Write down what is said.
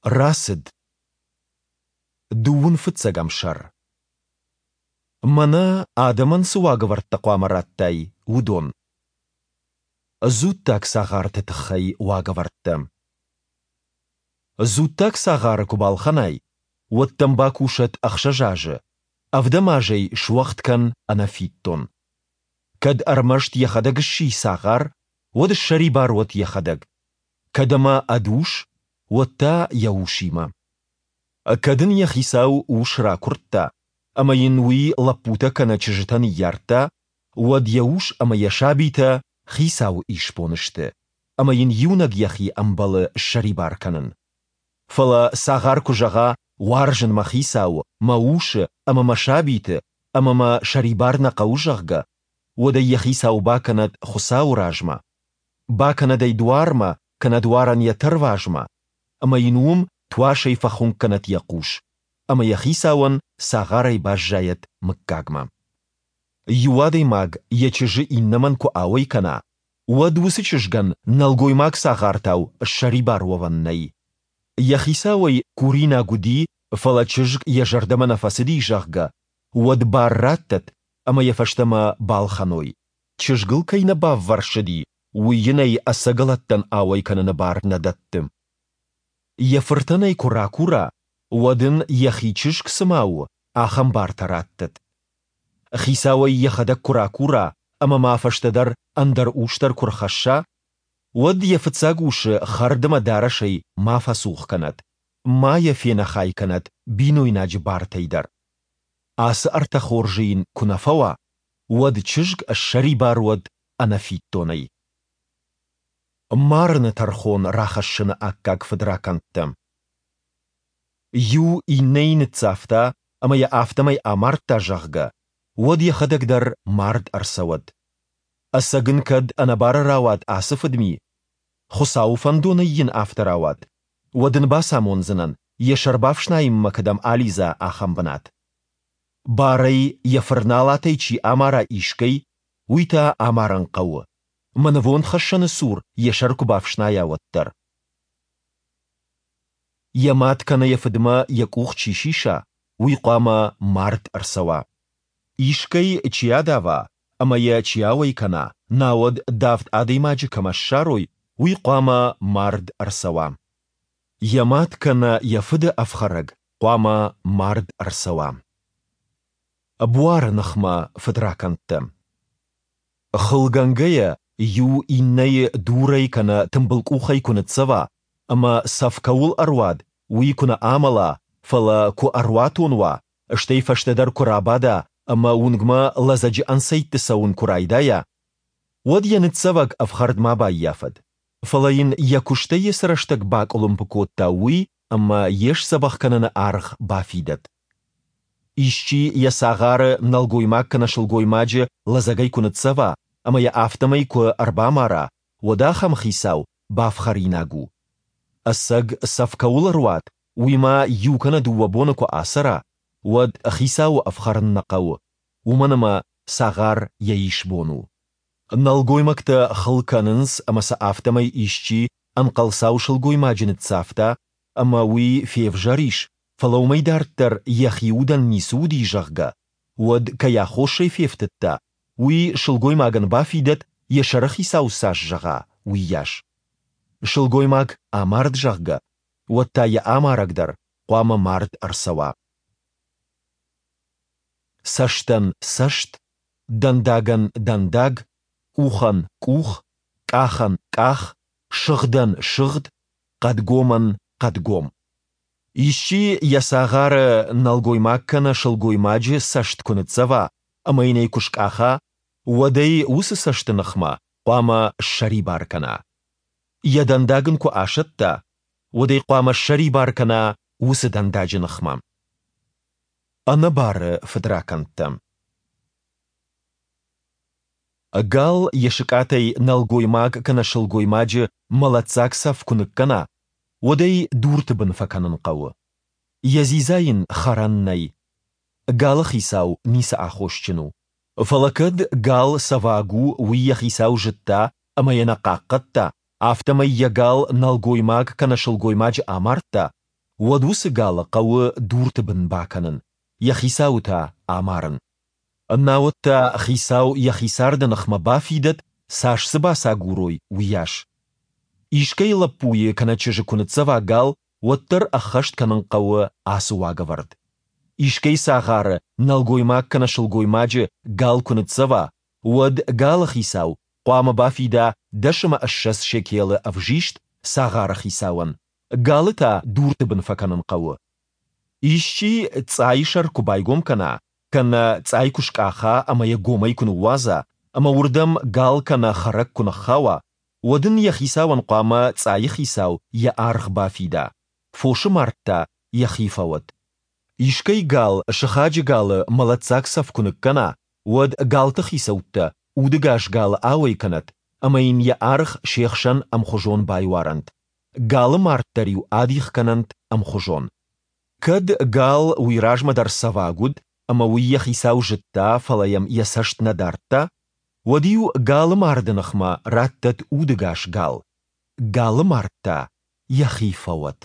Рацыд. Дыууын фыццӕгӕм сӕр. Мӕнӕ адӕмӕн цы уагӕвӕрдтӕ хъуамӕ раттай, уыдон. Дзуттаг цагъарты тыххӕй уагӕвӕрдтӕ. Дзуттаг цагъары куы балхӕнай, уӕд дӕм бакусӕд ӕхсӕз азы, ӕвдӕм аз ӕй суӕгъд кӕн ӕнӕфиддон. Кӕд ӕрмӕст йӕхӕдӕг сси цагъар, уӕд ссӕрибар уӕд йӕхӕдӕг. Кӕд ӕмӕ ӕд ус, уӕд та йӕ усимӕ. Кӕд ын йӕ хицау ус ракуырдта, ӕмӕ йын уый лӕппутӕ кӕнӕ чызджытӕ ныййардта, уӕд йӕ ус ӕмӕ йӕ сабитӕ хицауы исбон сты, ӕмӕ йын иунӕг йӕхи ӕмбӕлы ссӕрибар кӕнын. Фӕлӕ цагъар куы зӕгъа, уарзын мӕ хицауы, мӕ усы ӕмӕ мӕ сабиты, ӕмӕ мӕ сӕрибар нӕ хъӕуы, зӕгъгӕ, уӕд ӕй йӕ хицау бакӕнӕд Хуыцауы размӕ, бакӕнӕд ӕй дуармӕ кӕнӕ дуарӕн йӕ тӕрвазмӕ, ӕмӕ йын уым туасӕй фӕхуынкъ кӕнӕд йӕ хъус, ӕмӕ йӕ хицауӕн цагъарӕй баззайӕд мыггагмӕ. Иу адӕймаг йӕ чызджы иннӕмӕн куы ауӕй кӕна, уӕд уыцы чызгӕн нӕлгоймаг цагъартау ссӕрибар уӕвӕн нӕй. Йӕ хицауӕй куринаг уыди, фӕлӕ чызг йӕ зӕрдӕмӕ нӕ фӕцыди, зӕгъгӕ, уӕд бар раттӕд, ӕмӕ йӕ фӕстӕмӕ балхӕной. Чызгыл кӕй нӕ баввӕрсыди, уый йын ӕй ӕцӕгӕлӕттӕн ауӕй кӕныны бар нӕ дӕтты. Йӕ фыртӕн ӕй куы ракура, уӕд ын, йӕхи чызг цыма у, ахӕм бартӕ раттӕд. Хицау ӕй йӕхӕдӕг куы ракура ӕмӕ ма фӕстӕдӕр ӕндӕр ус дӕр куы рхӕсса, уӕд йӕ фыццаг усы хӕрд ӕмӕ дарӕсӕй ма фӕцух кӕнӕд, ма йӕ фенӕхай кӕнӕд бинойнаджы бартӕй дӕр. Ацы ӕртӕ хорзы йын куы нӕ фӕуа, уӕд чызг ссӕрибар уӕд ӕнӕфиддонӕй. Марыны тӕрхон рахӕссыны аккаг фыдракӕндтӕ. Иу иннӕйы ныццавта ӕмӕ йӕ афтӕмӕй амардта, зӕгъгӕ, уӕд йӕхӕдӕг дӕр мард ӕрцӕуӕд. Ӕцӕг ын кӕд ӕнӕбары рауад ацы фыдми, Хуыцауы фӕндонӕй йын афтӕ рауад, уӕд ын бацамондзынӕн, йӕ сӕр бафснайынмӕ кӕдӕм алидза, ахӕм бынат. Барӕй йӕ фырналатӕй чи амара искӕй, уый та амарын хъӕуы, мӕ нывондхӕссӕны цур йӕ сӕр куы бафснайа, уӕддӕр. Йӕ мад кӕнӕ йӕ фыдмӕ йӕ къух чи сиса, уый хъуамӕ мард ӕрцӕуа. Искӕй чи адава ӕмӕ йӕ чи ауӕй кӕна, науӕд давд адӕймаджы кӕмӕ ссарой, уый хъуамӕ мард ӕрцӕуа. Йӕ мад кӕнӕ йӕ фыды ӕфхӕрӕг хъуамӕ мард ӕрцӕуа. Буары ныхмӕ фыдракӕндтӕ. Хылгӕнгӕйӕ иу иннӕйы дурӕй кӕнӕ тымбылкъухӕй куы ныццӕва, ӕмӕ цӕф кӕуыл ӕруад, уый куы нӕ амӕла, фӕлӕ куы ӕруатон уа, стӕй фӕстӕдӕр куы рабада ӕмӕ уынгмӕ лӕдзӕджы ӕнцӕйтты цӕуын куы райдайа, уӕд йӕ ныццӕвӕг ӕфхӕрд ма баййафӕд, фӕлӕ йын йӕ куыстӕй йӕ цы рӕстӕг бакъуылымпы кодта, уый ӕмӕ йе сдзӕбӕх кӕныны аргъ бафидӕд. Исчи йӕ цагъары нӕлгоймаг кӕнӕ сылгоймаджы лӕдзӕгӕй куы ныццӕва ӕмӕ йӕ афтӕмӕй куы ӕрбамара, уӕд ахӕм хицау бафхӕринаг у. Ӕцӕг цӕф кӕуыл ӕруад, уый ма иу кӕнӕ дыууӕ боны куы ацӕра, уӕд хицауы ӕфхӕрын нӕ хъӕуы, уымӕн ӕмӕ цагъар йӕ исбон у. Нӕлгоймӕгтӕ хыл кӕнынц ӕмӕ сӕ афтӕмӕй исчи ӕнхъӕлцау сылгоймаджы ныццавта ӕмӕ уый февзӕр ис, фӕлӕ уымӕй дарддӕр йӕхи удӕн ницы уыди, зӕгъгӕ, уӕд кӕй аххосӕй фефтыдта, уый сылгоймагӕн бафидӕд, йӕ сӕрыхицау цас зӕгъа, уыйас. Сылгоймаг амард, зӕгъгӕ, уӕд та йӕ амарӕг дӕр хъуамӕ мард ӕрцӕуа. Цӕстӕн цӕст, дӕндагӕн дӕндаг, къухӕн къух, къахӕн къах, сыгъдӕн сыгъд, хъӕдгомӕн хъӕдгом. Исчи йӕ цагъары нӕлгоймаг кӕнӕ сылгоймаджы цӕст куы ныццӕва ӕмӕ йын ӕй куы скъаха, уӕд ӕй уыцы цӕсты ныхмӕ хъуамӕ ссӕрибар кӕна. Йӕ дӕндаг ын куы асӕтта, уӕд ӕй хъуамӕ ссӕрибар кӕна уыцы дӕндаджы ныхмӕ. Ӕнӕбары фыдракӕндтӕ. Гал йӕ сыкъатӕй нӕлгоймаг кӕнӕ сылгоймаджы мӕлӕтдзаг цӕф куы ныккӕна, уӕд ӕй дурты бын фӕкӕнын хъӕуы. Йӕ дзидза йын хӕрӕн нӕй. Галы хицау ницы аххосджын у. Фӕлӕ кӕд гал цӕваг у, уый йӕ хицау зыдта ӕмӕ йӕ нӕ хъахъхъӕдта, афтӕмӕй йӕ гал нӕлгоймаг кӕнӕ сылгоймаджы амардта, уӕд уыцы галы хъӕуы дурты бын бакӕнын, йӕ хицауы та амарын. Науӕд та хицау йӕхи царды ныхмӕ бафидӕд, цас дзы бацагурой, уыйас. Искӕй лӕппуйы кӕнӕ чызджы куы ныццӕва гал, уӕддӕр ӕххӕст кӕнын хъӕуы ацы уагӕвӕрд. Искӕй цагъары, нӕлгоймаг кӕнӕ сылгоймаджы, гал куы ныццӕва, уӕд галы хицау хъуамӕ бафида 20 шекелы ӕвзист цагъары хицауӕн, галы та дурты бын фӕкӕнын хъӕуы. Исчи цъайы сӕр куы байгом кӕна, кӕнӕ цъай куы скъаха ӕмӕ йӕ гомӕй куы ныууадза, ӕмӕ уырдӕм гал кӕнӕ хӕрӕг куы ныххауа, уӕд ын йӕ хицауӕн хъуамӕ цъайы хицау йӕ аргъ бафида, фосы мард та йӕхи фӕуӕд. Искӕй гал сыхаджы галы мӕлӕтдзаг цӕф куы ныккӕна, уӕд галты хицӕуттӕ удыгас галы ауӕй кӕнӕт ӕмӕ йын йӕ аргъ се хсӕн ӕмхуызон байуарӕнт. Галы мард дӕр-иу адих кӕнӕнт ӕмхуызон. Кӕд гал уый размӕ дӕр цӕваг уыд ӕмӕ уый йӕ хицау зыдта, фӕлӕ йӕм йӕ цӕст нӕ дардта, уӕд-иу галы марды ныхмӕ раттӕд удыгас гал, галы мард та йӕхи фӕуӕд.